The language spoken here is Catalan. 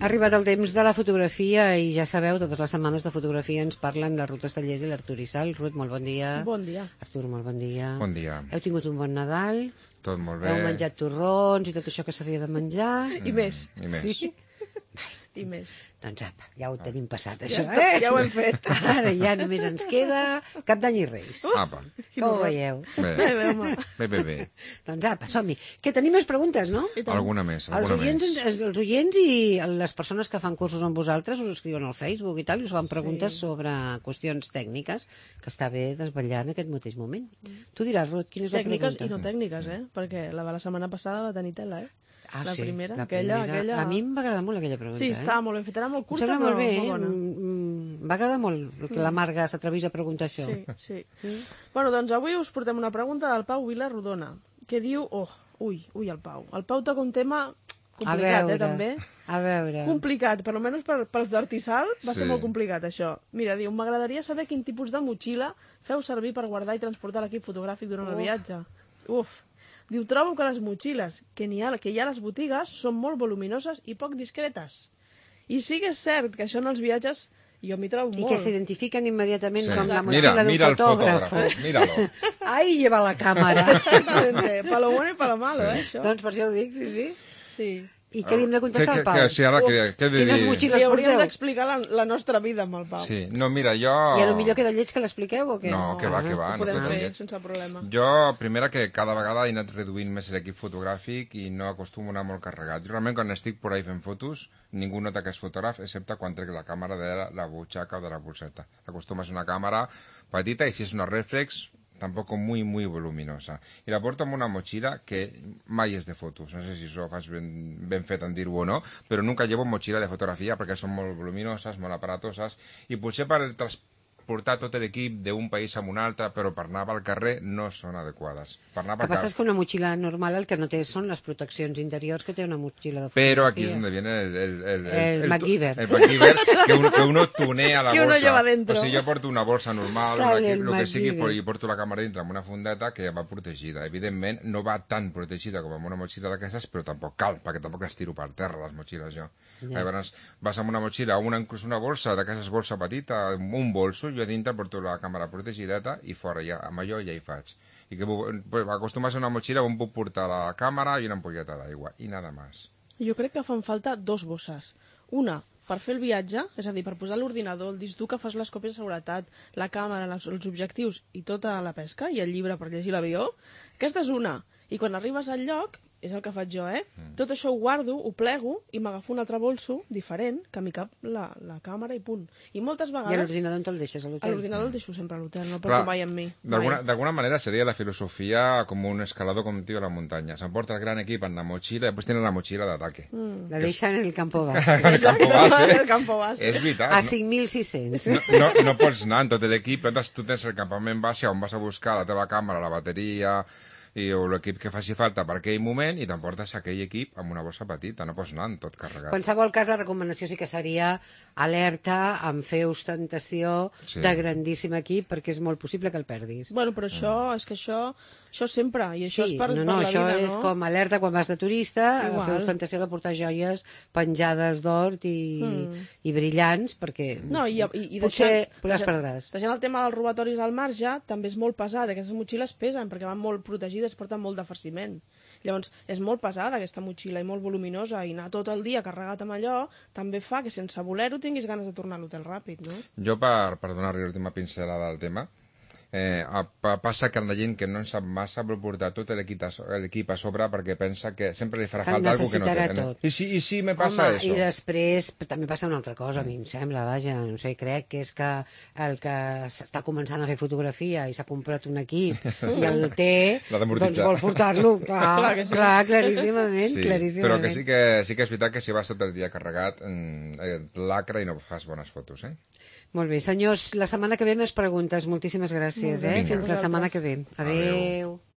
Ha arribat el temps de la fotografia i ja sabeu, totes les setmanes de fotografia ens parlen la Ruth Estellés i l'Artur Isal. Ruth, molt bon dia. Bon dia. Artur, molt bon dia. Bon dia. Heu tingut un bon Nadal? Tot molt bé. Heu menjat torrons i tot això que s'havia de menjar? I més. I més. Sí? I més. Doncs apa, ja ho tenim passat, Ja, això, està, ja ho hem fet. Ara ja només ens queda Cap d'Any i Reis. Apa. Com ho veieu? Bé, Home. bé. Doncs apa, som-hi. Que tenim més preguntes, no? I tant. Alguna més, Els alguna oients, més. els oients i les persones que fan cursos amb vosaltres us escriuen al Facebook i tal, i us fan preguntes sobre qüestions tècniques, que està bé desvetllar en aquest mateix moment. Tu diràs, Ruth, quina és la Tècniques pregunta? i no tècniques, perquè la de la setmana passada va tenir tela, Ah, la sí, primera, la aquella... A mi em va agradar molt aquella pregunta. Sí, estava molt ben feta, era molt Em curta, sembla però molt bé, molt bona. M'va agradar molt que la Marga s'atrevís a preguntar això. Sí. Bueno, doncs avui us portem una pregunta del Pau Vilarrodona, que diu... Ui, el Pau. El Pau toca un tema complicat, també. A veure. Complicat, per almenys pels d'Artisal va ser Sí. molt complicat, això. Mira, diu, m'agradaria saber quin tipus de motxilla feu servir per guardar i transportar l'equip fotogràfic durant el viatge. Diu, trobo que les motxilles que hi ha a les botigues són molt voluminoses i poc discretes. I sí que és cert que això en els viatges jo m'hi trobo I molt. que s'identifiquen immediatament Sí. com la Mira, motxilla d'un mira el fotògraf. fotógrafo, míralo. Ai, lleva la càmera. Exactamente, pa lo bueno i pa lo malo, això. Doncs per això ho dic, sí. Sí. I què li hem de contestar al Pau? Sí, ara què he de Quines dir? motxilles Li hauríem porteu? d'explicar la nostra vida amb el Pau. Sí, no, mira, jo... I a lo millor queda lleig que l'expliqueu o què? No, que va, Ho no podem queda fer lleig. sense problema. Jo, primera, que cada vegada he anat reduint més l'equip fotogràfic i no acostumo a anar molt carregat. Jo realment, quan estic por ahí fent fotos, ningú nota que és fotògraf, excepte quan trec la càmera de la butxaca o de la bolseta. Acostuma a ser una càmera petita i si és una reflex, tampoc muy voluminosa. I la porto amb una motxilla que mai és de fotos. No sé si això ho faig ben fet en dir-ho o no, però nunca llevo motxilla de fotografia perquè són molt voluminoses, molt aparatoses, i potser per transportar tot l'equip d'un país a un altre, però per anar pel carrer no són adequades. Per anar El que pel passa és carrer... que una motxilla normal el que no té són les proteccions interiors que té una motxilla de fotografia. Pero aquí es donde viene el MacGyver. El MacGyver, que uno tunea la Que uno bolsa. lleva dentro. O sigui, jo porto una bolsa normal, Sale el lo que sigui, MacGyver. i porto la càmera dintre amb una fundeta que va protegida. Evidentment, no va tan protegida com amb una motxilla d'aquestes, però tampoc cal, perquè tampoc les tiro per terra, les motxilles, jo. Llavors, vas amb una motxilla, inclús una bolsa, d'aquestes bolsa petita, un bolso, jo a dintre porto la càmera protegideta i fora, ja, amb allò ja hi faig. I que acostuma a ser una motxilla on puc portar la càmera i una ampolleta d'aigua, i nada más. Jo crec que fan falta dos bosses. Una, per fer el viatge, és a dir, per posar l'ordinador, el disc dur que fas les còpies de seguretat, la càmera, els objectius i tota la pesca, i el llibre per llegir l'avió. Aquesta és una. I quan arribes al lloc, és el que faig jo, tot això ho guardo, ho plego i m'agafo un altre bolso diferent que m'hi cap la càmera i punt. I moltes I vegades... l'ordinador on te'l deixes, a A l'hotel? l'ordinador el deixo sempre a l'hotel, no el Clar, porto mai amb mi. D'alguna manera sería la filosofía como un escalador como un tío de la montaña. Se aporta el gran equipo en la mochila y después tiene la mochila de ataque. La deixen en el campo base. En el campo base. El campo base. És veritat. A 5.600. No pots anar en tot l'equip, tu tens el campament base on vas a buscar la teva càmera, la bateria o l'equip que faci falta per aquell moment i t'emportes aquell equip amb una bossa petita, no pots anar en tot carregat. Qualsevol cas, la recomanació sí que seria alerta en fer ostentació de grandíssim equip perquè és molt possible que el perdis. Bueno, però és que això sempre, i això Sí, és per la això vida, és no? com alerta quan vas de turista, Igual. fer ostentació de portar joies penjades d'or i brillants, perquè No, i potser les perdràs. Deixant el tema dels robatoris al marge, també és molt pesat. Aquestes motxilles pesen perquè van molt protegides, porten molt de farciment. Llavors, és molt pesada aquesta motxilla i molt voluminosa, i anar tot el dia carregat amb allò també fa que sense voler-ho tinguis ganes de tornar a l'hotel ràpid, no? Jo, per donar-li l'última pincelada al tema, passa que la gent que no en sap massa vol portar tot l'equip a sobre perquè pensa que sempre li farà falta alguna que no té. Tot. I si me passa Home, això? i després també passa una altra cosa, a mi em sembla, vaja, no sé, crec que és que el que s'està començant a fer fotografia i s'ha comprat un equip i el té, doncs vol portar-lo, clar, claríssimament, sí, claríssimament. Però que sí que és veritat que si vas tot el dia carregat, lacra i no fas bones fotos, Molt bé, senyors, la setmana que ve més preguntes. Moltíssimes gràcies, Vinga. Fins la setmana que ve. Adéu.